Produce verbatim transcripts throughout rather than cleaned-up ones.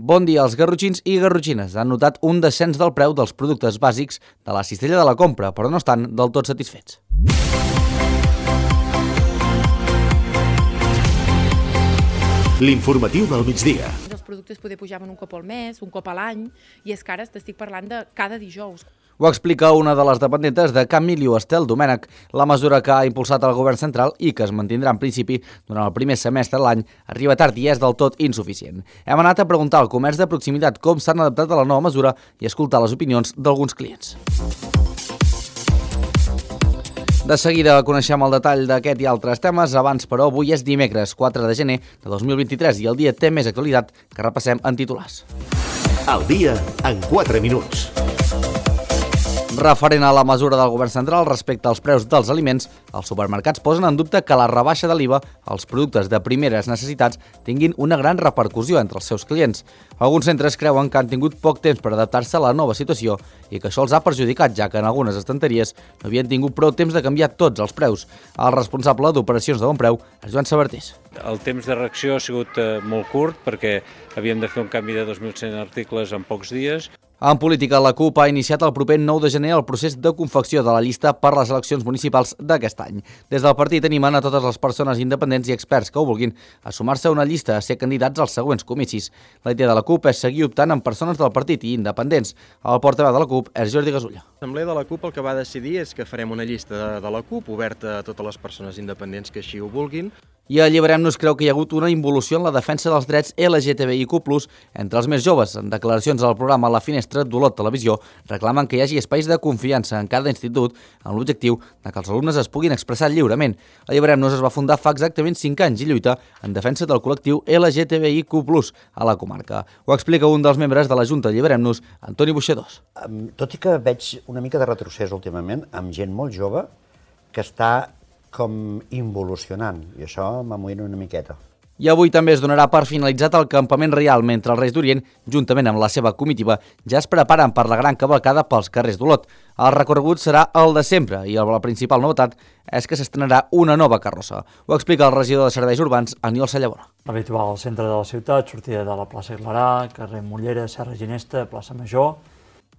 Bon dia, els garrotxins i garrotxines han notat un descens del preu dels productes bàsics de la cistella de la compra, però no estan del tot satisfets. L'informatiu del migdia. Els productes poder pujaven un cop al mes, un cop a l'any, i és que ara t'estic parlant de cada dijous. Ho explica una de les dependentes de Can Miliu, Estel Domènech. La mesura que ha impulsat el govern central i que es mantindrà en principi durant el primer semestre de l'any arriba tard i és del tot insuficient. Hem anat a preguntar al comerç de proximitat com s'han adaptat a la nova mesura i escoltar les opinions d'alguns clients. De seguida coneixem el detall d'aquest i altres temes. Abans, però, avui és dimecres, quatre de gener de dos mil vint-i-tres i el dia té més actualitat que repassem en titulars. El dia en quatre minuts. Referent a la mesura del govern central respecte als preus dels aliments, els supermercats posen en dubte que la rebaixa de l'I V A als productes de primeres necessitats tinguin una gran repercussió entre els seus clients. Alguns centres creuen que han tingut poc temps per adaptar-se a la nova situació i que això els ha perjudicat, ja que en algunes estanteries no havien tingut prou temps de canviar tots els preus. El responsable d'operacions de Bon Preu és Joan Sabartés. El temps de reacció ha sigut molt curt perquè havíem de fer un canvi de dos mil cent articles en pocs dies. En política, la CUP ha iniciat el proper nou de gener el procés de confecció de la llista per les eleccions municipals d'aquest any. Des del partit animen a totes les persones independents i experts que ho vulguin a sumar-se a una llista a ser candidats als següents comicis. La idea de la CUP és seguir optant amb persones del partit i independents. El portaveu de la CUP és Jordi Gasulla. L'Assemblea de la CUP el que va decidir és que farem una llista de, de la CUP oberta a totes les persones independents que així ho vulguin. I Alliberem-nos creu que hi ha hagut una involució en la defensa dels drets L G T B I Q plus, entre els més joves. En declaracions al programa La Finestra d'Olot Televisió reclamen que hi hagi espais de confiança en cada institut amb l'objectiu de que els alumnes es puguin expressar lliurement. Alliberem-nos es va fundar fa exactament cinc anys i lluita en defensa del col·lectiu L G T B I Q plus a la comarca. Ho explica un dels membres de la Junta Alliberem-nos, Antoni Buixadors. Tot i que veig una mica de retrocés últimament amb gent molt jove que està com involucionant, i això m'amoïna una miqueta. I avui també es donarà per finalitzat el campament reial, mentre els Reis d'Orient, juntament amb la seva comitiva, ja es preparen per la gran cavalcada pels carrers d'Olot. El recorregut serà el de sempre i la principal novetat és que s'estrenarà una nova carrossa. Ho explica el regidor de Serveis Urbans, Aniol Sallabona. Habitual al centre de la ciutat, sortida de la plaça Clarà, carrer Mollera, Serra Ginesta, plaça Major.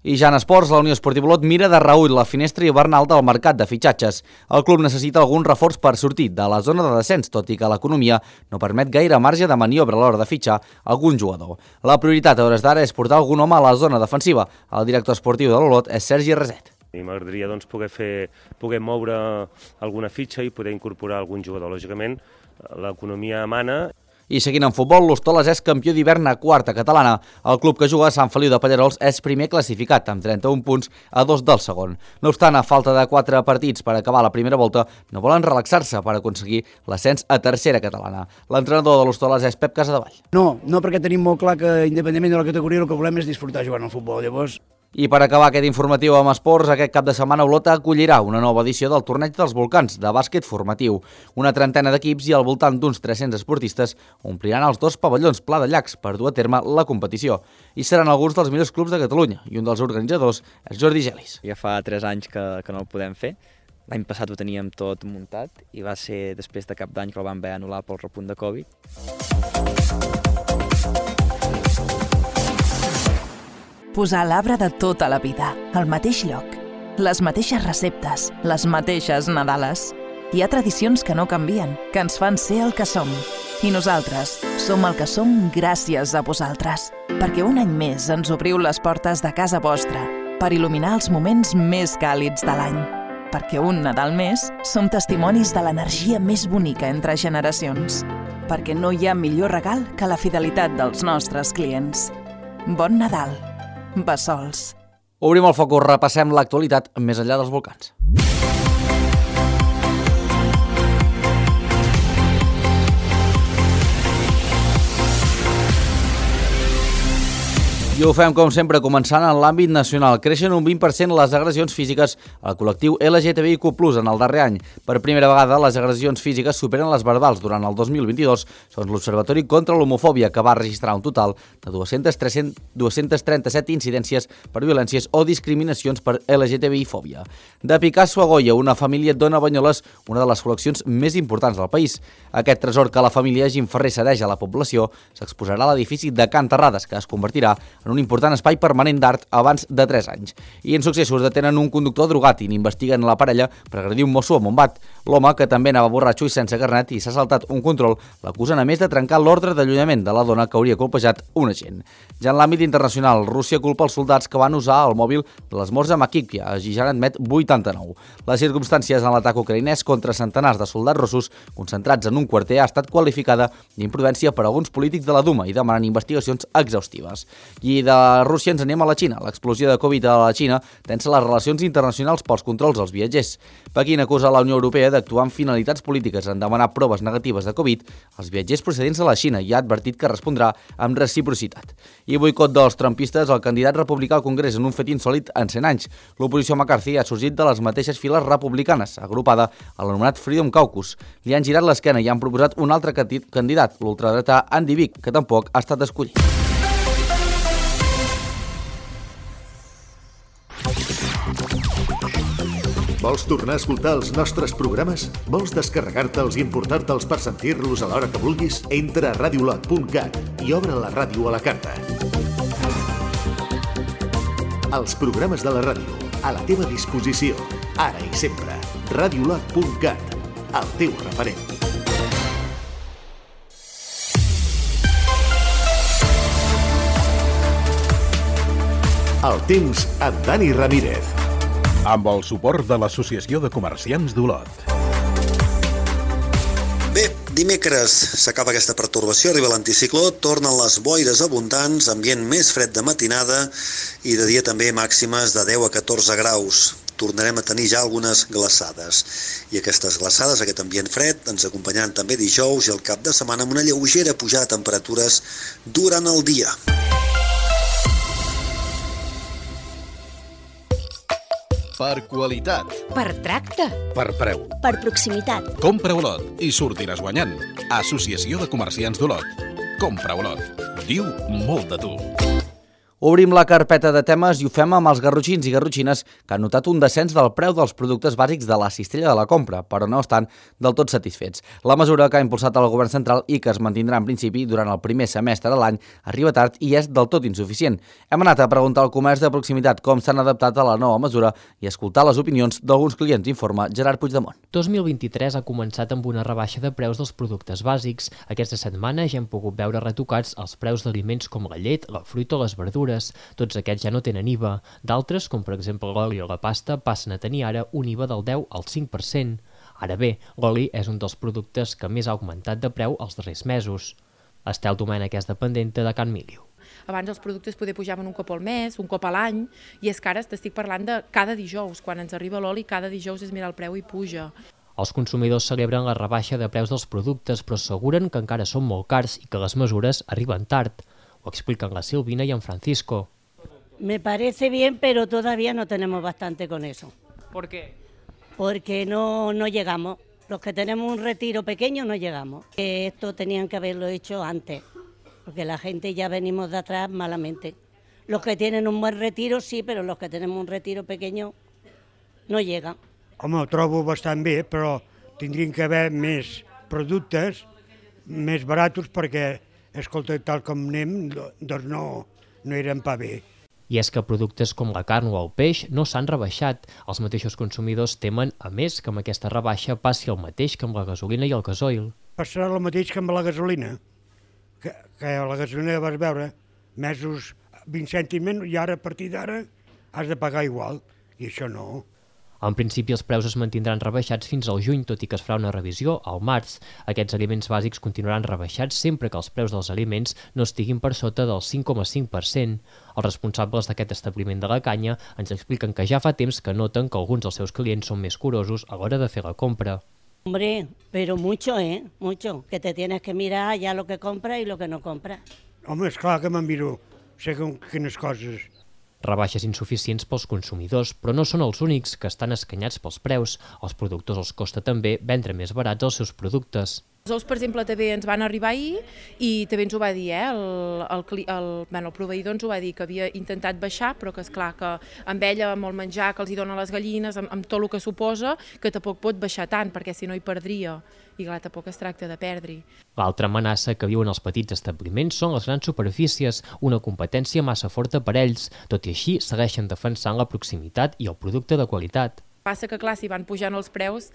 I ja en esports, la Unió Esportiva Olot mira de reüll la finestra hivernal del mercat de fitxatges. El club necessita algun reforç per sortir de la zona de descens, tot i que l'economia no permet gaire marge de maniobra a l'hora de fitxar algun jugador. La prioritat a hores d'ara és portar algun home a la zona defensiva. El director esportiu de l'Olot és Sergi Reset. I m'agradaria doncs, poder, fer, poder moure alguna fitxa i poder incorporar algun jugador. Lògicament, l'economia mana. I seguint en futbol, l'Hostoles és campió d'hivern a quarta catalana. El club que juga a Sant Feliu de Pallerols és primer classificat, amb trenta-un punts a dos del segon. No obstant, a falta de quatre partits per acabar la primera volta, no volen relaxar-se per aconseguir l'ascens a tercera catalana. L'entrenador de l'Hostoles és Pep Casadevall. No, no perquè tenim molt clar que, independentment de la categoria, el que volem és disfrutar jugant al futbol. Llavors... I per acabar aquest informatiu amb esports, aquest cap de setmana Olot acollirà una nova edició del Torneig dels Volcans de bàsquet formatiu. Una trentena d'equips i al voltant d'uns tres-cents esportistes ompliran els dos pavellons Pla de Llacs per dur a terme la competició. I seran alguns dels millors clubs de Catalunya i un dels organitzadors és Jordi Gelis. Ja fa tres anys que, que no el podem fer. L'any passat ho teníem tot muntat i va ser després de cap d'any que el vam haver anul·lar pel repunt de Covid. Posar l'arbre de tota la vida, al mateix lloc. Les mateixes receptes, les mateixes Nadales. Hi ha tradicions que no canvien, que ens fan ser el que som. I nosaltres som el que som gràcies a vosaltres. Perquè un any més ens obriu les portes de casa vostra per il·luminar els moments més càlids de l'any. Perquè un Nadal més som testimonis de l'energia més bonica entre generacions. Perquè no hi ha millor regal que la fidelitat dels nostres clients. Bon Nadal. Bessols. Obrim el focus, repassem l'actualitat més enllà dels volcans. I ho fem, com sempre, començant en l'àmbit nacional. Creixen un vint per cent les agressions físiques al col·lectiu L G T B I Q plus, en el darrer any. Per primera vegada, les agressions físiques superen les verbals durant el dos mil vint-i-dos, segons l'Observatori contra l'Homofòbia, que va registrar un total de dues-centes trenta-set incidències per violències o discriminacions per L G T B I-fòbia. De Picasso a Goya, una família dona a Banyoles una de les col·leccions més importants del país. Aquest tresor que la família Gim Ferrer cedeix a la població s'exposarà a l'edifici de Can Terrades, que es convertirà en un important espai permanent d'art abans de tres anys. I en successos detenen un conductor drogat i n'investiguen la parella per agredir un mosso a Montbat. L'home, que també anava borratxo i sense carnet i s'ha saltat un control, l'acusen a més de trencar l'ordre d'allunyament de la dona que hauria colpejat un agent. Ja en l'àmbit internacional, Rússia culpa els soldats que van usar el mòbil de l'esmorz a Makivka, i ja n'admet vuitanta-nou. Les circumstàncies en l'atac ucraïnès contra centenars de soldats russos concentrats en un quarter ha estat qualificada d'imprudència per alguns polítics de la Duma i demanen investigacions exhaustives. I de Rússia ens anem a la Xina. L'explosió de Covid a la Xina tensa les relacions internacionals pels controls als viatgers. Pequín acusa la Unió Europea d'actuar amb finalitats polítiques en demanar proves negatives de Covid als viatgers procedents de la Xina i ha advertit que respondrà amb reciprocitat. I boicot dels trumpistes, el candidat republicà al Congrés en un fet insòlit en cent anys. L'oposició McCarthy ha sorgit de les mateixes files republicanes, agrupada a l'anomenat Freedom Caucus. Li han girat l'esquena i han proposat un altre candidat, l'ultradretà Andy Bigg, que tampoc ha estat escollit. Vols tornar a escoltar els nostres programes? Vols descarregar-te'ls i importar-te'ls per sentir-los a l'hora que vulguis? Entra a radiolot punt cat i obre la ràdio a la carta. Els programes de la ràdio, a la teva disposició, ara i sempre. radiolot punt cat, el teu referent. El temps amb Dani Ramírez. Amb el suport de l'Associació de Comerciants d'Olot. Bé, dimecres s'acaba aquesta pertorbació, arriba l'anticicló, tornen les boires abundants, ambient més fred de matinada i de dia també màximes de deu a catorze graus. Tornarem a tenir ja algunes glaçades. I aquestes glaçades, aquest ambient fred, ens acompanyaran també dijous i el cap de setmana amb una lleugera pujada de temperatures durant el dia. Per qualitat. Per tracte. Per preu. Per proximitat. Compra Olot i sortiràs guanyant. Associació de Comerciants d'Olot. Compra Olot. Diu molt de tu. Obrim la carpeta de temes i ho fem amb els garrotxins i garrotxines que han notat un descens del preu dels productes bàsics de la cistella de la compra, però no estan del tot satisfets. La mesura que ha impulsat el govern central i que es mantindrà en principi durant el primer semestre de l'any arriba tard i és del tot insuficient. Hem anat a preguntar al comerç de proximitat com s'han adaptat a la nova mesura i escoltar les opinions d'alguns clients, informa Gerard Puigdemont. dos mil vint-i-tres ha començat amb una rebaixa de preus dels productes bàsics. Aquesta setmana ja hem pogut veure retocats els preus d'aliments com la llet, la fruita o les verdures. Tots aquests ja no tenen I V A. D'altres, com per exemple l'oli o la pasta, passen a tenir ara un I V A del deu al cinc per cent. Ara bé, l'oli és un dels productes que més ha augmentat de preu els darrers mesos. Estel Domènech és dependenta de Can Miliu. Abans els productes poder pujaven un cop al mes, un cop a l'any, i és que ara t'estic parlant de cada dijous. Quan ens arriba l'oli, cada dijous és mirar el preu i puja. Els consumidors celebren la rebaixa de preus dels productes, però asseguren que encara són molt cars i que les mesures arriben tard. Ho explican la Silvina y en Francisco. Me parece bien, pero todavía no tenemos bastante con eso. ¿Por qué? Porque no, no llegamos. Los que tenemos un retiro pequeño no llegamos. Esto tenían que haberlo hecho antes, porque la gente ya venimos de atrás malamente. Los que tienen un buen retiro sí, pero los que tenemos un retiro pequeño no llegan. Home, ho trobo bastant bé, però tindrien que haver més productes, més baratos, perquè escolta, tal com anem, doncs no, no eren pa bé. I és que productes com la carn o el peix no s'han rebaixat. Els mateixos consumidors temen, a més, que amb aquesta rebaixa passi el mateix que amb la gasolina i el gasoil. Passarà el mateix que amb la gasolina, que, que la gasolina vas veure mesos vint cèntims i ara a partir d'ara has de pagar igual, i això no. En principi, els preus es mantindran rebaixats fins al juny, tot i que es farà una revisió al març. Aquests aliments bàsics continuaran rebaixats sempre que els preus dels aliments no estiguin per sota del cinc coma cinc per cent. Els responsables d'aquest establiment de la Canya ens expliquen que ja fa temps que noten que alguns dels seus clients són més curosos a l'hora de fer la compra. Hombre, pero mucho, ¿eh? Mucho. Que te tienes que mirar ya lo que compras y lo que no compras. Home, és clar que me'n miro segons quines coses. Rebaixes insuficients pels consumidors, però no són els únics que estan escanyats pels preus. Als productors els costa també vendre més barats els seus productes. Els ous, per exemple, també ens van arribar ahir i també ens ho va dir, eh? el, el, el, bueno, el proveïdor ens ho va dir, que havia intentat baixar, però que, esclar, que amb ella, amb el menjar que els hi donen les gallines, amb, amb tot el que suposa, que tampoc pot baixar tant, perquè si no hi perdria. I clar, tampoc es tracta de perdre. L'altra amenaça que viuen els petits establiments són les grans superfícies, una competència massa forta per ells. Tot i així, segueixen defensant la proximitat i el producte de qualitat. Passa que, clar, si van pujant els preus,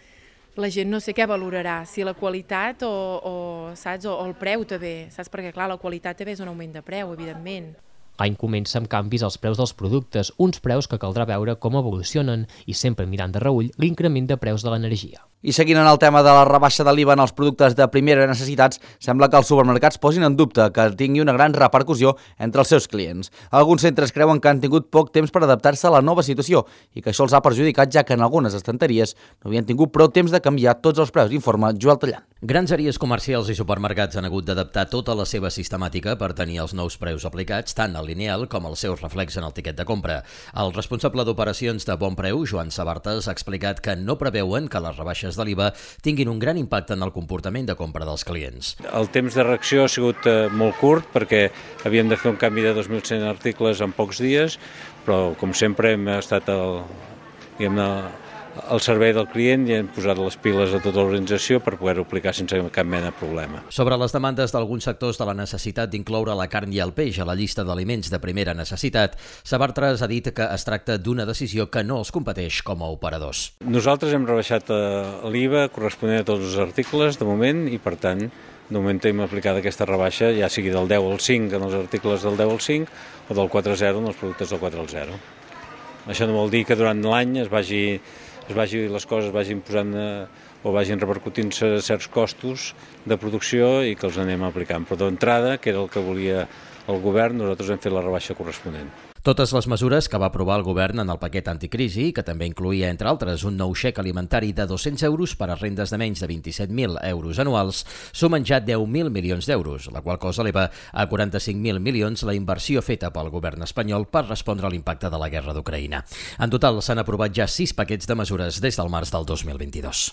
la gent no sé què valorarà, si la qualitat o, o, saps, o el preu també, saps? Perquè, clar, la qualitat també és un augment de preu, evidentment. L'any comença amb canvis als preus dels productes, uns preus que caldrà veure com evolucionen i sempre mirant de reüll l'increment de preus de l'energia. I seguint en el tema de la rebaixa de l'I V A en els productes de primera necessitats, sembla que els supermercats posin en dubte que tingui una gran repercussió entre els seus clients. Alguns centres creuen que han tingut poc temps per adaptar-se a la nova situació i que això els ha perjudicat, ja que en algunes estanteries no havien tingut prou temps de canviar tots els preus, informa Joel Tallant. Grans àrees comercials i supermercats han hagut d'adaptar tota la seva sistemàtica per tenir els nous preus aplicats, tant al lineal com els seus reflex en el tiquet de compra. El responsable d'operacions de Bon Preu, Joan Sabartes, ha explicat que no preveuen que les rebaixes de l'I V A tinguin un gran impacte en el comportament de compra dels clients. El temps de reacció ha sigut molt curt perquè havíem de fer un canvi de dos mil cent articles en pocs dies, però com sempre hem estat al, diguem, al servei del client i hem posat les piles a tota l'organització per poder-ho aplicar sense cap mena de problema. Sobre les demandes d'alguns sectors de la necessitat d'incloure la carn i el peix a la llista d'aliments de primera necessitat, Sabartres ha dit que es tracta d'una decisió que no els competeix com a operadors. Nosaltres hem rebaixat l'I V A corresponent a tots els articles de moment i, per tant, de moment hem aplicat aquesta rebaixa, ja sigui del deu al cinc en els articles del deu al cinc o del quatre a zero en els productes del quatre al zero. Això no vol dir que durant l'any es vagi es vagi, les coses vagin posant eh, o vagin repercutint-se certs costos de producció i que els anem aplicant. Però d'entrada, que era el que volia el govern, nosaltres hem fet la rebaixa corresponent. Totes les mesures que va aprovar el govern en el paquet anticrisi, que també incluïa, entre altres, un nou xec alimentari de dos-cents euros per a rendes de menys de vint-i-set mil euros anuals, sumen ja deu mil milions d'euros, la qual cosa eleva a quaranta-cinc mil milions la inversió feta pel govern espanyol per respondre a l'impacte de la guerra d'Ucraïna. En total, s'han aprovat ja sis paquets de mesures des del març del dos mil vint-i-dos.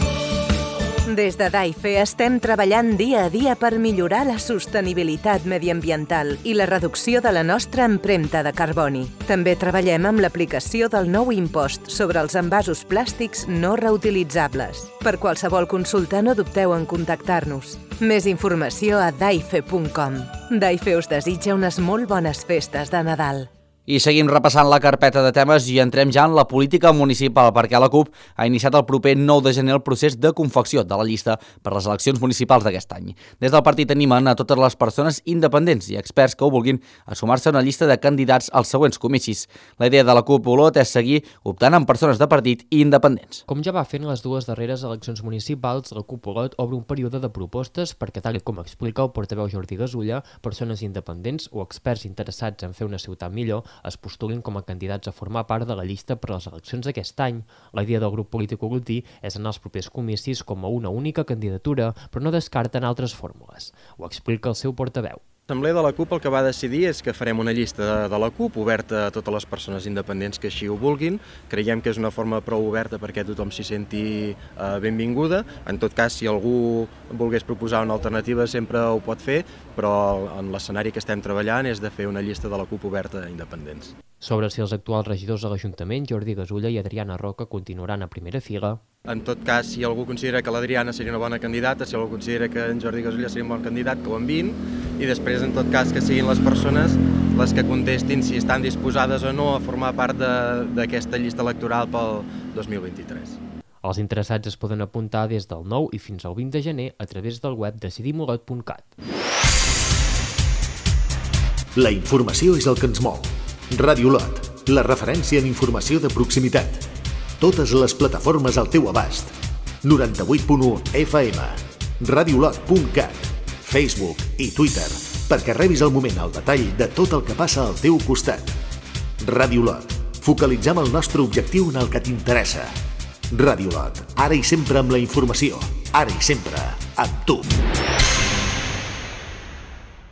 Des de DAIFE estem treballant dia a dia per millorar la sostenibilitat mediambiental i la reducció de la nostra empremta de carboni. També treballem amb l'aplicació del nou impost sobre els envasos plàstics no reutilitzables. Per qualsevol consulta no dubteu en contactar-nos. Més informació a daife punt com. DAIFE us desitja unes molt bones festes de Nadal. I seguim repassant la carpeta de temes i entrem ja en la política municipal, perquè la CUP ha iniciat el proper nou de gener el procés de confecció de la llista per les eleccions municipals d'aquest any. Des del partit animen a totes les persones independents i experts que ho vulguin a sumar-se a una llista de candidats als següents comicis. La idea de la CUP Olot és seguir optant amb persones de partit i independents. Com ja va fent les dues darreres eleccions municipals, la CUP Olot obre un període de propostes perquè, tal com explica el portaveu Jordi Gasulla, persones independents o experts interessats en fer una ciutat millor es postulin com a candidats a formar part de la llista per a les eleccions d'aquest any. La idea del grup polític olotí és anar als propers comicis com a una única candidatura, però no descarten altres fórmules. Ho explica el seu portaveu. L'Assemblea de la CUP el que va decidir és que farem una llista de, de la CUP oberta a totes les persones independents que així ho vulguin. Creiem que és una forma prou oberta perquè tothom s'hi senti eh, benvinguda. En tot cas, si algú volgués proposar una alternativa sempre ho pot fer, però en l'escenari que estem treballant és de fer una llista de la CUP oberta a independents. Sobre si els actuals regidors de l'Ajuntament, Jordi Gasulla i Adriana Roca, continuaran a primera fila. En tot cas, si algú considera que l'Adriana seria una bona candidata, si algú considera que en Jordi Gasulla seria un bon candidat, que ho enviïn, i després, en tot cas, que siguin les persones les que contestin si estan disposades o no a formar part d'aquesta llista electoral pel dos mil vint-i-tres. Els interessats es poden apuntar des del nou i fins al vint de gener a través del web decidim olot punt cat. La informació és el que ens mou. Ràdio Olot, la referència en informació de proximitat. Totes les plataformes al teu abast. noranta-vuit punt u F M, ràdio olot punt cat, Facebook i Twitter, perquè rebis al moment el detall de tot el que passa al teu costat. Ràdio Olot, focalitzem el nostre objectiu en el que t'interessa. Ràdio Olot, ara i sempre amb la informació, ara i sempre amb tu.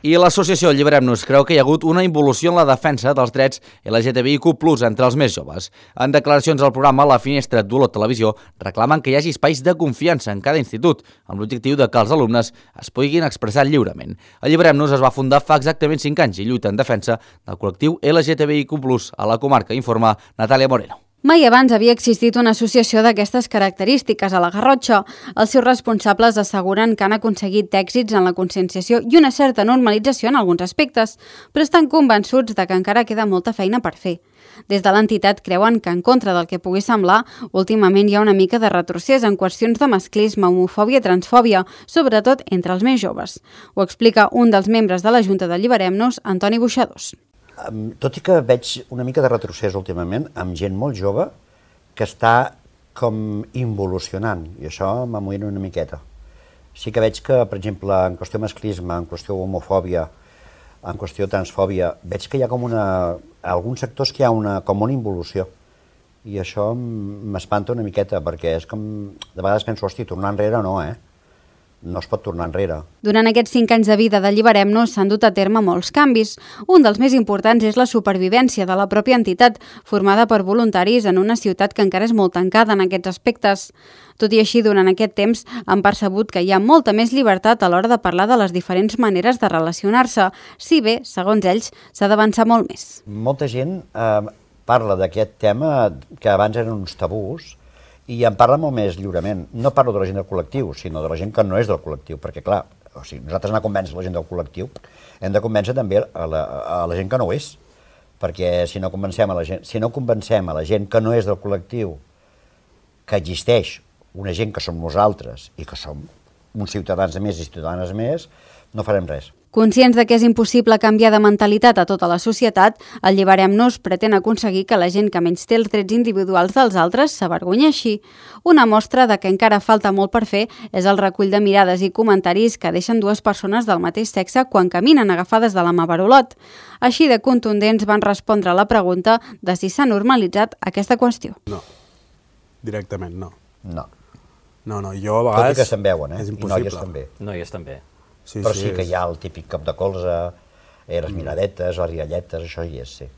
I l'associació Alliberem-nos creu que hi ha hagut una involució en la defensa dels drets L G T B I Q plus, entre els més joves. En declaracions al programa La Finestra d'Olot Televisió reclamen que hi hagi espais de confiança en cada institut, amb l'objectiu de que els alumnes es puguin expressar lliurement. Alliberem-nos es va fundar fa exactament cinc anys i lluita en defensa del col·lectiu L G T B I Q plus a la comarca, informa Natàlia Moreno. Mai abans havia existit una associació d'aquestes característiques a la Garrotxa. Els seus responsables asseguren que han aconseguit èxits en la conscienciació i una certa normalització en alguns aspectes, però estan convençuts de que encara queda molta feina per fer. Des de l'entitat creuen que, en contra del que pugui semblar, últimament hi ha una mica de retrocés en qüestions de masclisme, homofòbia i transfòbia, sobretot entre els més joves. Ho explica un dels membres de la Junta d'Alliberem-nos, Antoni Buixadors. Tot i que veig una mica de retrocés últimament amb gent molt jove que està com involucionant, i això m'amoïna una miqueta. Sí que veig que, per exemple, en qüestió masclisme, en qüestió homofòbia, en qüestió transfòbia, veig que hi ha com una... a alguns sectors que hi ha una, com una involució. I això m'espanta una miqueta, perquè és com... De vegades penso, hosti, tornar enrere no, eh? No es pot tornar enrere. Durant aquests cinc anys de vida d'Alliberem-nos s'han dut a terme molts canvis. Un dels més importants és la supervivència de la pròpia entitat, formada per voluntaris en una ciutat que encara és molt tancada en aquests aspectes. Tot i així, durant aquest temps han percebut que hi ha molta més llibertat a l'hora de parlar de les diferents maneres de relacionar-se, si bé, segons ells, s'ha d'avançar molt més. Molta gent eh, parla d'aquest tema que abans eren uns tabús, i en parla molt més lliurement. No parlo de la gent del col·lectiu, sinó de la gent que no és del col·lectiu, perquè clar, o sigui, nosaltres anar a convèncer la gent del col·lectiu, hem de convèncer també a la, a la gent que no ho és, perquè si no convencem a la gent, si no convencem a la gent que no és del col·lectiu que existeix una gent que som nosaltres i que som uns ciutadans més i ciutadanes més, no farem res. Conscients de que és impossible canviar de mentalitat a tota la societat, Alliberem-nos pretén aconseguir que la gent que menys té els drets individuals dels altres s'avergonyeixi. Una mostra de que encara falta molt per fer és el recull de mirades i comentaris que deixen dues persones del mateix sexe quan caminen agafades de la mà per Olot. Així de contundents van respondre a la pregunta de si s'ha normalitzat aquesta qüestió. No, directament no. No. No, no, jo a vegades... Tot i que se'n veuen, eh? És I impossible. noies també. Noies també. Sí, però sí, sí que hi ha el típic cop de colze, eh, les miradetes, les rialletes, això hi és, sí.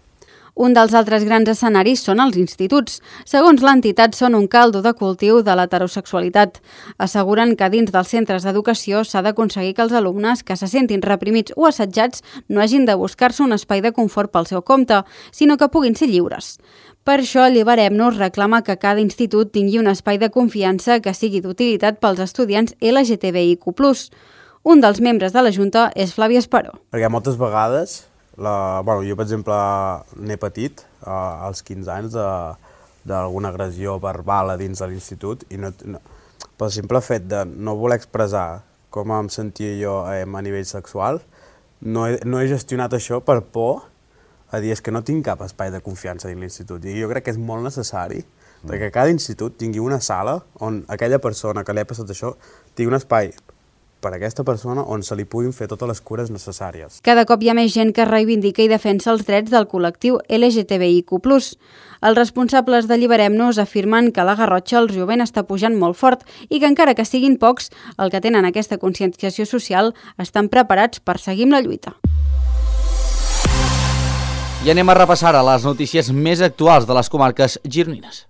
Un dels altres grans escenaris són els instituts. Segons l'entitat, són un caldo de cultiu de l'heterosexualitat. Asseguren que dins dels centres d'educació s'ha d'aconseguir que els alumnes que se sentin reprimits o assetjats no hagin de buscar-se un espai de confort pel seu compte, sinó que puguin ser lliures. Per això, Alliberem-nos reclama que cada institut tingui un espai de confiança que sigui d'utilitat pels estudiants L G T B I Q plus. Un dels membres de la Junta és Flavi Esperó. Perquè moltes vegades, la, bueno, jo per exemple n'he patit eh, als quinze anys d'alguna agressió verbal a dins de l'institut i no, no, pel simple fet de no voler expressar com em sentia jo eh, a nivell sexual, no he, no he gestionat això per por a dir és que no tinc cap espai de confiança dins l'institut. I jo crec que és molt necessari mm. perquè cada institut tingui una sala on aquella persona que li ha passat això tingui un espai per a aquesta persona on se li puguin fer totes les cures necessàries. Cada cop hi ha més gent que reivindica i defensa els drets del col·lectiu L G T B I Q plus. Els responsables d'Alliberem-nos afirmen que a la Garrotxa el jovent està pujant molt fort i que encara que siguin pocs, el que tenen aquesta conscienciació social estan preparats per seguir amb la lluita. I anem a repassar a les notícies més actuals de les comarques gironines.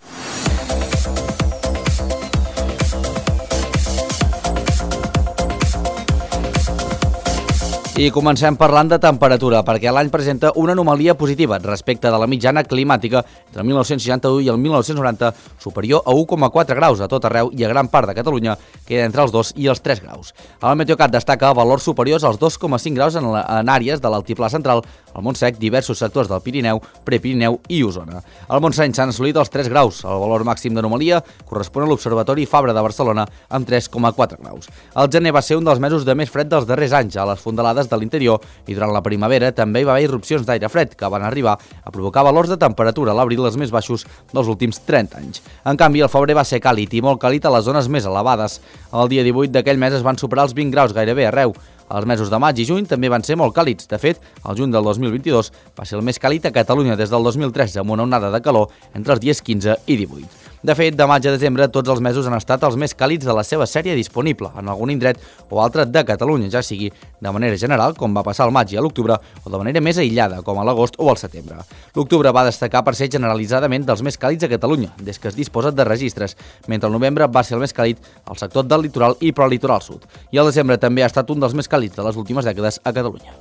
I comencem parlant de temperatura, perquè l'any presenta una anomalia positiva respecte de la mitjana climàtica entre el mil nou-cents seixanta-u i el mil nou-cents noranta, superior a u coma quatre graus a tot arreu i a gran part de Catalunya queda entre els dos i els tres graus. El Meteocat destaca valors superiors als dos coma cinc graus en, la, en àrees de l'altiplà central, al Montsec, diversos sectors del Pirineu, Prepirineu i Osona. Al Montseny s'han assolit els tres graus. El valor màxim d'anomalia correspon a l'Observatori Fabra de Barcelona amb tres coma quatre graus. El gener va ser un dels mesos de més fred dels darrers anys a les fondalades de l'interior i durant la primavera també hi va haver irrupcions d'aire fred que van arribar a provocar valors de temperatura a l'abril els més baixos dels últims trenta anys. En canvi, el febrer va ser càlid i molt càlid a les zones més elevades. El dia divuit d'aquell mes es van superar els vint graus gairebé arreu. Els mesos de maig i juny també van ser molt càlids. De fet, el juny del dos mil vint-i-dos va ser el més càlid a Catalunya des del dos mil tretze, amb una onada de calor entre els dies quinze i divuit. De fet, de maig a desembre, tots els mesos han estat els més càlids de la seva sèrie disponible en algun indret o altre de Catalunya, ja sigui de manera general, com va passar al maig i a l'octubre, o de manera més aïllada, com a l'agost o al setembre. L'octubre va destacar per ser generalitzadament dels més càlids a Catalunya, des que es disposa de registres, mentre el novembre va ser el més càlid al sector del litoral i prelitoral sud. I el desembre també ha estat un dels més càlids de les últimes dècades a Catalunya.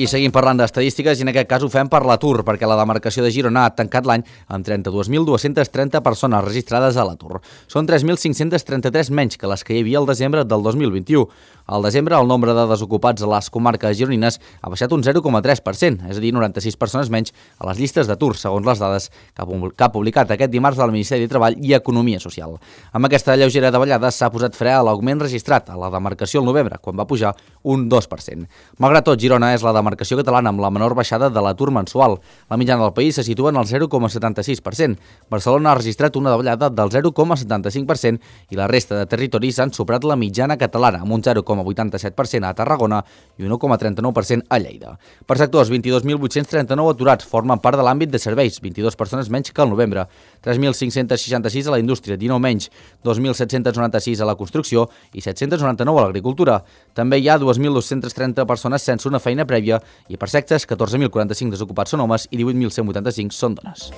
I seguim parlant d'estadístiques i en aquest cas ho fem per l'atur, perquè la demarcació de Girona ha tancat l'any amb trenta-dues mil dues-centes trenta persones registrades a l'atur. Són tres mil cinc-cents trenta-tres menys que les que hi havia al desembre del dos mil vint-i-u. Al desembre, el nombre de desocupats a les comarques gironines ha baixat un zero coma tres per cent, és a dir, noranta-sis persones menys a les llistes d'atur, segons les dades que ha publicat aquest dimarts el Ministeri de Treball i Economia Social. Amb aquesta lleugera davallada s'ha posat fre a l'augment registrat a la demarcació al novembre, quan va pujar un dos per cent. Malgrat tot, Girona és la demarcació catalana amb la menor baixada de l'atur mensual. La mitjana del país se situa en el zero coma setanta-sis per cent. Barcelona ha registrat una davallada del zero coma setanta-cinc per cent i la resta de territoris han superat la mitjana catalana, amb un zero coma vuitanta-set per cent a Tarragona i un un coma trenta-nou per cent a Lleida. Per sectors, vint-i-dos mil vuit-cents trenta-nou aturats formen part de l'àmbit de serveis, vint-i-dues persones menys que al novembre, tres mil cinc-cents seixanta-sis a la indústria, dinou menys, dos mil set-cents noranta-sis a la construcció i set-cents noranta-nou a l'agricultura. També hi ha dos mil dos-cents trenta persones sense una feina prèvia i per sexes, catorze mil quaranta-cinc desocupats són homes i divuit mil cent vuitanta-cinc són dones.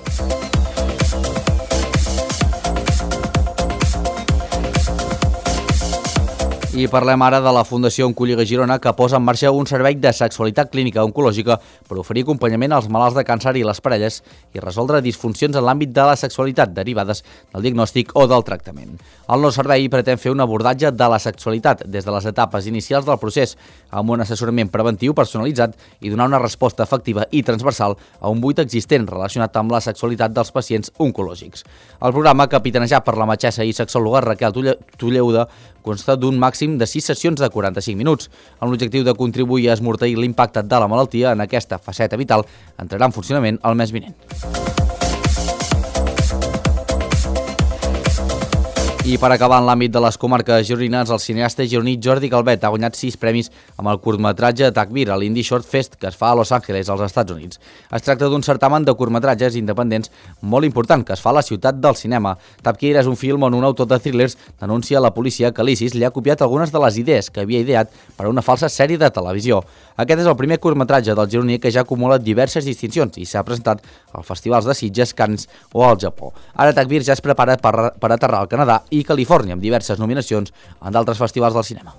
I parlem ara de la Fundació Oncolliga Girona, que posa en marxa un servei de sexualitat clínica oncològica per oferir acompanyament als malalts de càncer i les parelles i resoldre disfuncions en l'àmbit de la sexualitat derivades del diagnòstic o del tractament. El nou servei pretén fer un abordatge de la sexualitat des de les etapes inicials del procés, amb un assessorament preventiu personalitzat i donar una resposta efectiva i transversal a un buit existent relacionat amb la sexualitat dels pacients oncològics. El programa, capitanejat per la metgessa i sexòloga Raquel Tulleuda, consta d'un màxim de sis sessions de quaranta-cinc minuts, amb l'objectiu de contribuir a esmorteir l'impacte de la malaltia en aquesta faceta vital, entrarà en funcionament el mes vinent. I per acabar en l'àmbit de les comarques gironines, el cineasta gironí Jordi Calvet ha guanyat sis premis amb el curtmetratge Takbir a l'Indie Short Fest que es fa a Los Angeles, als Estats Units. Es tracta d'un certamen de curtmetratges independents molt important que es fa a la ciutat del cinema. Takbir és un film on un autor de thrillers denuncia a la policia que l'ISIS li ha copiat algunes de les idees que havia ideat per a una falsa sèrie de televisió. Aquest és el primer curtmetratge del gironí que ja acumula diverses distincions i s'ha presentat als festivals de Sitges, Cannes o al Japó. Ara Takbir ja es prepara per, per aterrar al Canadà i Califòrnia, amb diverses nominacions en d'altres festivals del cinema.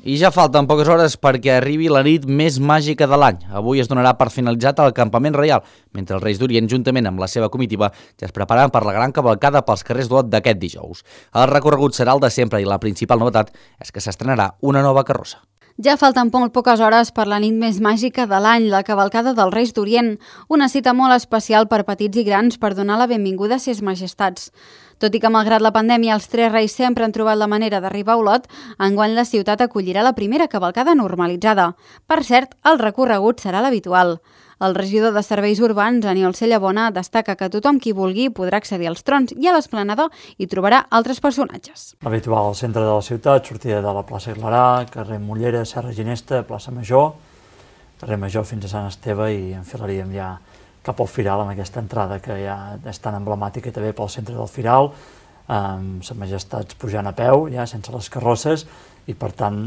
I ja falten poques hores perquè arribi la nit més màgica de l'any. Avui es donarà per finalitzat el campament reial, mentre els Reis d'Orient, juntament amb la seva comitiva, ja es preparen per la gran cavalcada pels carrers d'Olot d'aquest dijous. El recorregut serà el de sempre i la principal novetat és que s'estrenarà una nova carrossa. Ja falten molt poques hores per la nit més màgica de l'any, la cavalcada dels Reis d'Orient, una cita molt especial per petits i grans per donar la benvinguda a ses majestats. Tot i que, malgrat la pandèmia, els tres reis sempre han trobat la manera d'arribar a Olot, enguany la ciutat acollirà la primera cavalcada normalitzada. Per cert, el recorregut serà l'habitual. El regidor de Serveis Urbans, Aniol Cellabona, destaca que tothom qui vulgui podrà accedir als trons i a l'esplanada hi trobarà altres personatges. L'habitual al centre de la ciutat, sortida de la plaça Clarà, carrer Mollera, Serra Ginesta, plaça Major, carrer Major fins a Sant Esteve i enfilaríem ja cap al Firal amb aquesta entrada que ja és tan emblemàtica també pel centre del Firal, amb les majestats pujant a peu, ja sense les carrosses, i per tant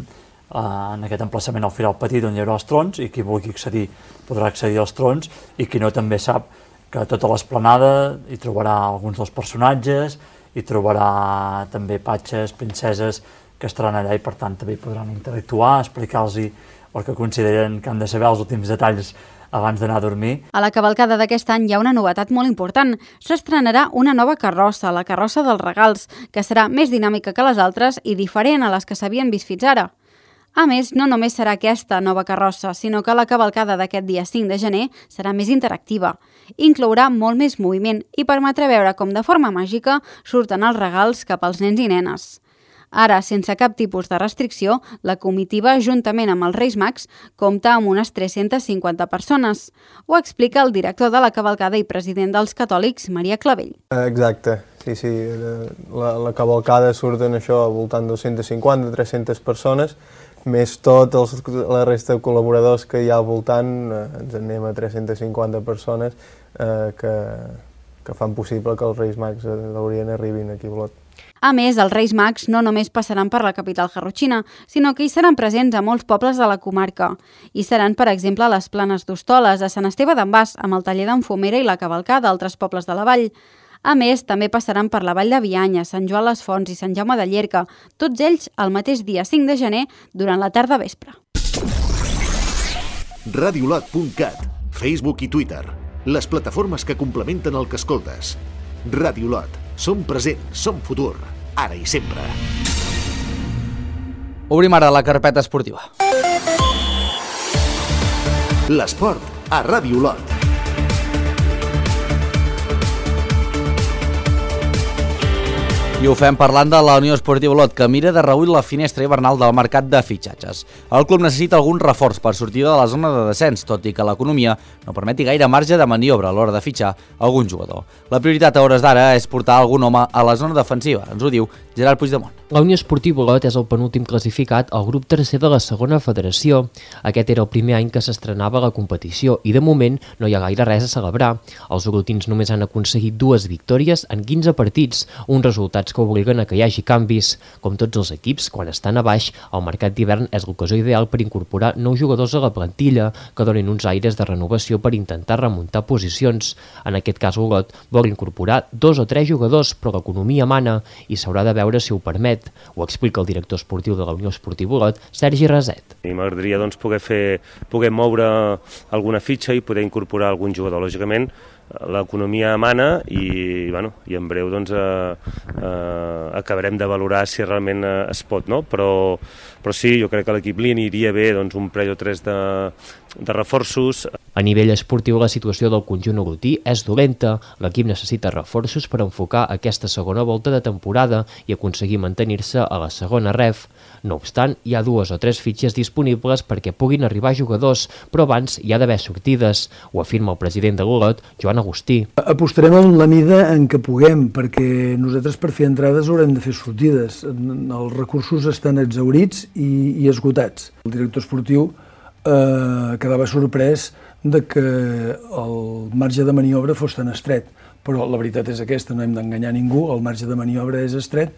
en aquest emplaçament al Firal Petit on hi haurà els trons, i qui vulgui accedir podrà accedir als trons, i qui no també sap que a tota l'esplanada hi trobarà alguns dels personatges, hi trobarà també patxes, princeses que estaran allà i per tant també podran interactuar, explicar-los el que consideren que han de saber els últims detalls abans d'anar a dormir. A la cavalcada d'aquest any hi ha una novetat molt important. S'estrenarà una nova carrossa, la carrossa dels regals, que serà més dinàmica que les altres i diferent a les que s'havien vist fins ara. A més, no només serà aquesta nova carrossa, sinó que la cavalcada d'aquest dia cinc de gener serà més interactiva. Inclourà molt més moviment i permetrà veure com de forma màgica surten els regals cap als nens i nenes. Ara, sense cap tipus de restricció, la comitiva, juntament amb els Reis Mags, compta amb unes tres-centes cinquanta persones. Ho explica el director de la cavalcada i president dels catòlics, Maria Clavell. Exacte, sí, sí. La, la cavalcada surten això al voltant de dos-centes cinquanta a tres-centes persones més tot els, la resta de col·laboradors que hi ha al voltant, eh, ens en anem a tres-centes cinquanta persones eh, que, que fan possible que els Reis Mags d'Orient arribin aquí a Olot. A més, els Reis Mags no només passaran per la capital garrotxina, sinó que hi seran presents a molts pobles de la comarca. Hi seran, per exemple, a les Planes d'Hostoles, a Sant Esteve d'en Bas, amb el taller d'Enfomera i la cavalcada d'altres pobles de la vall. A més, també passaran per la Vall de Bianya, Sant Joan les Fonts i Sant Jaume de Llierca, tots ells el mateix dia cinc de gener durant la tarda vespre. radiolot punt cat, Facebook i Twitter, les plataformes que complementen el que escoltes. Radiolot, som present, som futur, ara i sempre. Obrim ara la carpeta esportiva. L'esport a Radiolot. I ho fem parlant de la Unió Esportiva Olot, que mira de reüll la finestra hivernal del mercat de fitxatges. El club necessita algun reforç per sortir de la zona de descens, tot i que l'economia no permeti gaire marge de maniobra a l'hora de fitxar algun jugador. La prioritat a hores d'ara és portar algun home a la zona defensiva, ens ho diu Gerard Puigdemont. La Unió Esportiva Olot és el penúltim classificat al grup tercer de la segona federació. Aquest era el primer any que s'estrenava la competició i de moment no hi ha gaire res a celebrar. Els olotins només han aconseguit dues victòries en quinze partits, uns resultats que obliguen a que hi hagi canvis. Com tots els equips, quan estan a baix, el mercat d'hivern és l'ocasió ideal per incorporar nous jugadors a la plantilla que donin uns aires de renovació per intentar remuntar posicions. En aquest cas, Olot vol incorporar dos o tres jugadors, però l'economia mana i s'haurà de veure si ho permet. Ho explica el director esportiu de la Unió Esportiva Olot, Sergi Raset. I m'agradaria doncs, poder, fer, poder moure alguna fitxa i poder incorporar algun jugador. Lògicament, l'economia mana i, bueno, i en breu doncs, eh, eh, acabarem de valorar si realment eh, es pot, no? Però, però sí, jo crec que a l'equip li aniria bé doncs, un parell o tres de, de reforços. A nivell esportiu, la situació del conjunt olotí és dolenta. L'equip necessita reforços per enfocar aquesta segona volta de temporada i aconseguir mantenir-se a la segona ref. No obstant, hi ha dues o tres fitxes disponibles perquè puguin arribar jugadors, però abans hi ha d'haver sortides. Ho afirma el president de l'Olot, Joan Agustí. Apostarem en la mida en què puguem, perquè nosaltres per fer entrades haurem de fer sortides. Els recursos estan exhaurits i, i esgotats. El director esportiu eh, quedava sorprès de que el marge de maniobra fos tan estret, però la veritat és aquesta, no hem d'enganyar ningú, el marge de maniobra és estret,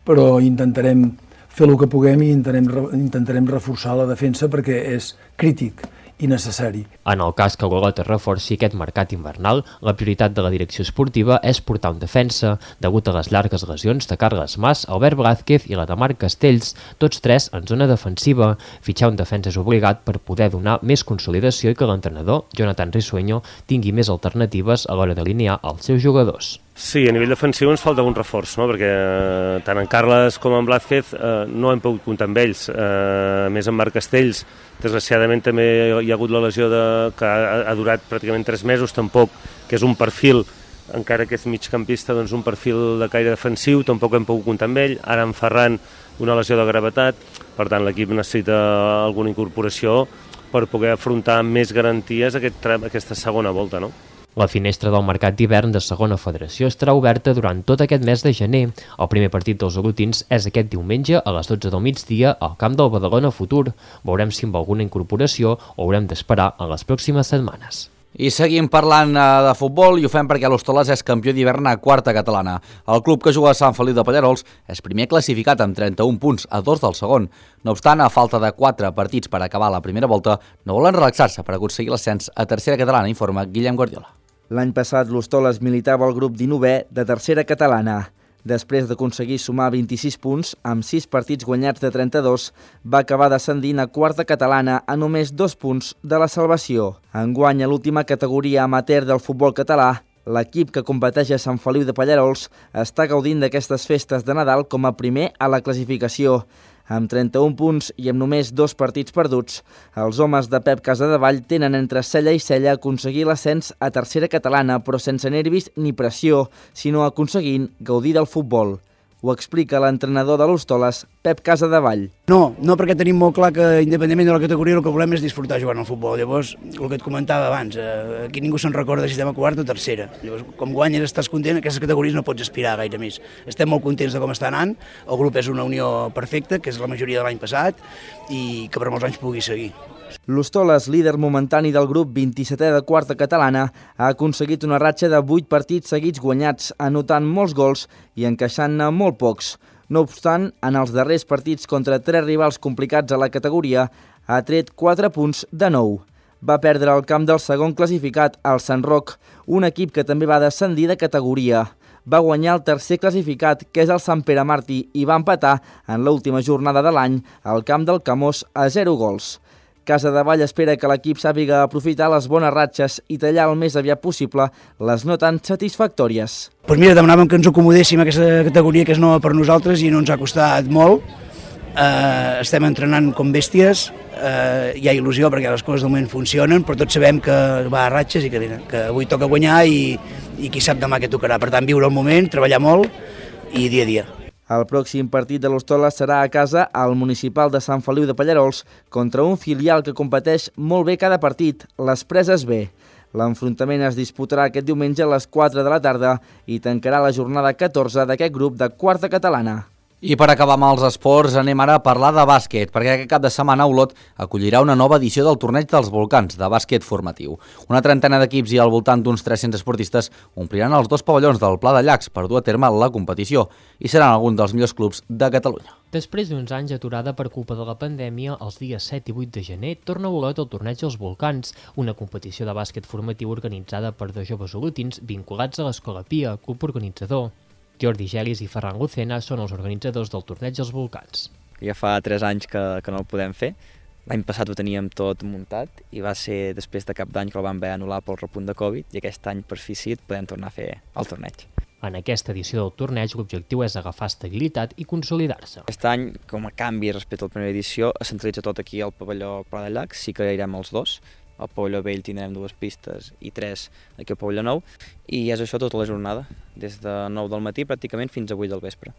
però intentarem fer el que puguem i intentarem, intentarem reforçar la defensa perquè és crític i necessari. En el cas que l'Olot es reforci aquest mercat invernal, la prioritat de la direcció esportiva és portar un defensa, degut a les llargues lesions de Carles Mas, Albert Blázquez i la de Marc Castells, tots tres en zona defensiva. Fitxar un defensa és obligat per poder donar més consolidació i que l'entrenador, Jonathan Risueño, tingui més alternatives a l'hora d'alinear els seus jugadors. Sí, a nivell defensiu ens falta un reforç, no? Perquè eh, tant en Carles com en Blázquez eh, no hem pogut comptar amb ells. Eh, més en Marc Castells, desgraciadament també hi ha hagut la lesió de, que ha, ha durat pràcticament tres mesos, tampoc, que és un perfil, encara que és migcampista, doncs un perfil de caire defensiu, tampoc hem pogut comptar amb ell. Ara en Ferran, una lesió de gravetat, per tant l'equip necessita alguna incorporació per poder afrontar amb més garanties aquest, aquesta segona volta, no? La finestra del mercat d'hivern de segona federació estarà oberta durant tot aquest mes de gener. El primer partit dels olotins és aquest diumenge a les dotze del migdia al camp del Badalona Futur. Veurem si amb alguna incorporació o haurem d'esperar en les pròximes setmanes. I seguim parlant de futbol i ho fem perquè l'Hostoles és campió d'hivern a quarta catalana. El club que juga a Sant Feliu de Pallerols és primer classificat amb trenta-un punts a dos del segon. No obstant, a falta de quatre partits per acabar la primera volta, no volen relaxar-se per aconseguir l'ascens a tercera catalana, informa Guillem Guardiola. L'any passat l'Hostoles militava al grup dinovè de tercera catalana. Després d'aconseguir sumar vint-i-sis punts, amb sis partits guanyats de trenta-dos, va acabar descendint a quarta catalana a només dos punts de la salvació. Enguany, a l'última categoria amateur del futbol català, l'equip que competeix a Sant Feliu de Pallerols està gaudint d'aquestes festes de Nadal com a primer a la classificació. Amb trenta-un punts i amb només dos partits perduts, els homes de Pep Casadevall tenen entre cella i cella aconseguir l'ascens a tercera catalana, però sense nervis ni pressió, sinó aconseguint gaudir del futbol. Ho explica l'entrenador de l'Hostoles, Pep Casadevall. No, no perquè tenim molt clar que independentment de la categoria el que volem és disfrutar jugant al futbol. Llavors, el que et comentava abans, eh, aquí ningú se'n recorda si estem a quarta o tercera. Llavors, com guanyes estàs content, aquestes categories no pots aspirar gaire més. Estem molt contents de com està anant, el grup és una unió perfecta, que és la majoria de l'any passat, i que per molts anys pugui seguir. L'Hostoles, líder momentani del grup vint-i-setè de quarta catalana, ha aconseguit una ratxa de vuit partits seguits guanyats, anotant molts gols i encaixant-ne molt pocs. No obstant, en els darrers partits contra tres rivals complicats a la categoria, ha tret quatre punts de nou. Va perdre el camp del segon classificat, el Sant Roc, un equip que també va descendir de categoria. Va guanyar el tercer classificat, que és el Sant Pere Martí, i va empatar en l'última jornada de l'any al camp del Camós a zero gols. Casadevall espera que l'equip sàpiga aprofitar les bones ratxes i tallar el més aviat possible les no tan satisfactòries. Doncs mira, demanàvem que ens acomodéssim a aquesta categoria que és nova per nosaltres i no ens ha costat molt. Eh, estem entrenant com bèsties, eh, hi ha il·lusió perquè les coses de moment funcionen, però tots sabem que va a ratxes i que, que avui toca guanyar i, i qui sap demà què tocarà. Per tant, viure el moment, treballar molt i dia a dia. El pròxim partit de l'Hostoles serà a casa al municipal de Sant Feliu de Pallarols contra un filial que competeix molt bé cada partit, les Preses B. L'enfrontament es disputarà aquest diumenge a les quatre de la tarda i tancarà la jornada catorze d'aquest grup de quarta catalana. I per acabar amb els esports anem ara a parlar de bàsquet, perquè aquest cap de setmana Olot acollirà una nova edició del Torneig dels Volcans de bàsquet formatiu. Una trentena d'equips i al voltant d'uns tres-cents esportistes ompliran els dos pavellons del Pla de Llacs per dur a terme la competició i seran alguns dels millors clubs de Catalunya. Després d'uns anys aturada per culpa de la pandèmia, els dies set i vuit de gener torna a Olot el Torneig dels Volcans, una competició de bàsquet formatiu organitzada per dos joves olotins vinculats a l'Escola Pia, club organitzador. Jordi Gelis i Ferran Lucena són els organitzadors del Torneig dels Volcans. Ja fa tres anys que, que no el podem fer. L'any passat ho teníem tot muntat i va ser després de cap d'any que el vam haver anul·lar pel repunt de Covid i aquest any per fi sí podem tornar a fer el torneig. En aquesta edició del torneig l'objectiu és agafar estabilitat i consolidar-se. Aquest any, com a canvi respecte a la primera edició, es centralitza tot aquí al pavelló Pla de Llacs, sí que irem els dos. Al pavelló vell tindrem dues pistes i tres aquí al pavelló nou i és això tota la jornada, des de nou del matí pràcticament fins a vuit del vespre.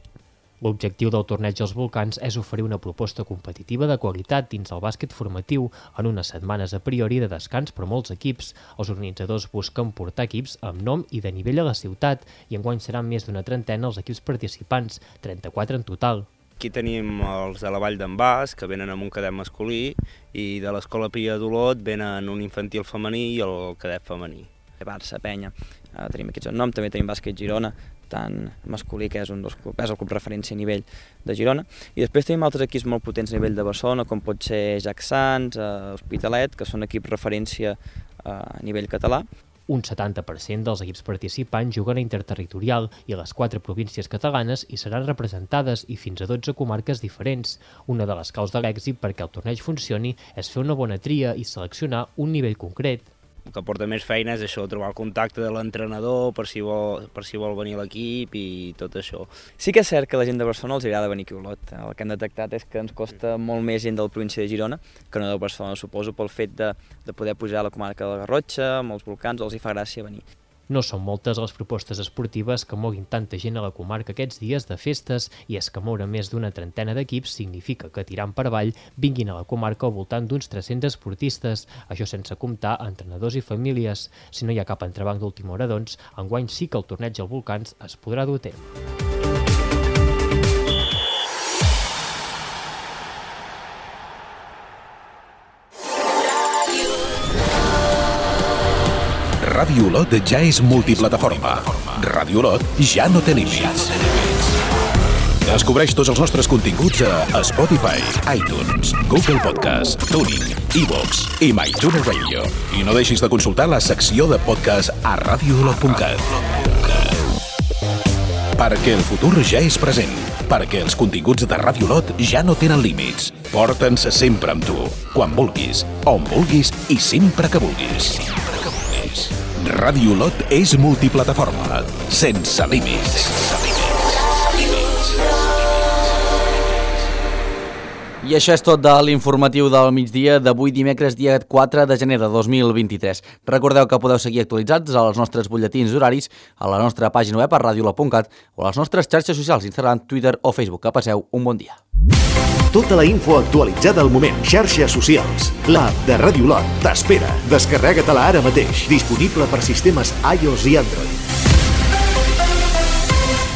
L'objectiu del Torneig dels Volcans és oferir una proposta competitiva de qualitat dins el bàsquet formatiu en unes setmanes a priori de descans per molts equips. Els organitzadors busquen portar equips amb nom i de nivell a la ciutat i enguany seran més d'una trentena els equips participants, trenta-quatre en total. Aquí tenim els de la Vall d'en Bas, que venen amb un cadet masculí, i de l'Escola Pia d'Olot venen un infantil femení i el cadet femení. Barça, Penya, uh, tenim aquí el nom, també tenim Bàsquet Girona, tant masculí, que és, un dels clubs, és el club referència a nivell de Girona, i després tenim altres equips molt potents a nivell de Barcelona, com pot ser Jack Sants, uh, Hospitalet, que són equips referència uh, a nivell català. Un setanta per cent dels equips participants juguen a interterritorial i a les quatre províncies catalanes hi seran representades i fins a dotze comarques diferents. Una de les claus de l'èxit perquè el torneig funcioni és fer una bona tria i seleccionar un nivell concret. El que porta més feina és això, trobar el contacte de l'entrenador per si vol, per si vol venir a l'equip i tot això. Sí que és cert que la gent de Barcelona els agrada venir aquí a Olot. El que hem detectat és que ens costa molt més gent de la província de Girona que no de Barcelona, suposo pel fet de, de poder pujar a la comarca de la Garrotxa, amb els volcans, els hi fa gràcia venir. No són moltes les propostes esportives que moguin tanta gent a la comarca aquests dies de festes i és que moure més d'una trentena d'equips significa que tirant per avall vinguin a la comarca al voltant d'uns tres-cents esportistes, això sense comptar entrenadors i famílies. Si no hi ha cap entrebanc d'última hora, doncs, enguany sí que el torneig als Volcans es podrà dur a terme. Ràdio Olot ja és multiplataforma. Ràdio Olot ja no té límits. Descobreix tots els nostres continguts a Spotify, iTunes, Google Podcast, TuneIn, iVoox i MyTuner Radio. I no deixis de consultar la secció de podcast a radio olot punt cat. Perquè el futur ja és present. Perquè els continguts de Ràdio Olot ja no tenen límits. Porta'ns sempre amb tu, quan vulguis, on vulguis i sempre que vulguis. Ràdio Olot és multiplataforma, sense límits. I això és tot de l'informatiu del migdia d'avui dimecres, dia quatre de gener de dos mil vint-i-tres. Recordeu que podeu seguir actualitzats als nostres butlletins horaris a la nostra pàgina web a radiolot punt cat o a les nostres xarxes socials, Instagram, Twitter o Facebook. Que passeu un bon dia. Tota la info actualitzada al moment. Xarxes socials. L'app de Ràdio Lot t'espera. Descarrega-te-la ara mateix. Disponible per sistemes iOS i Android.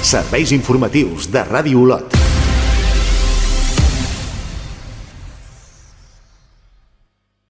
Serveis informatius de Ràdio Lot.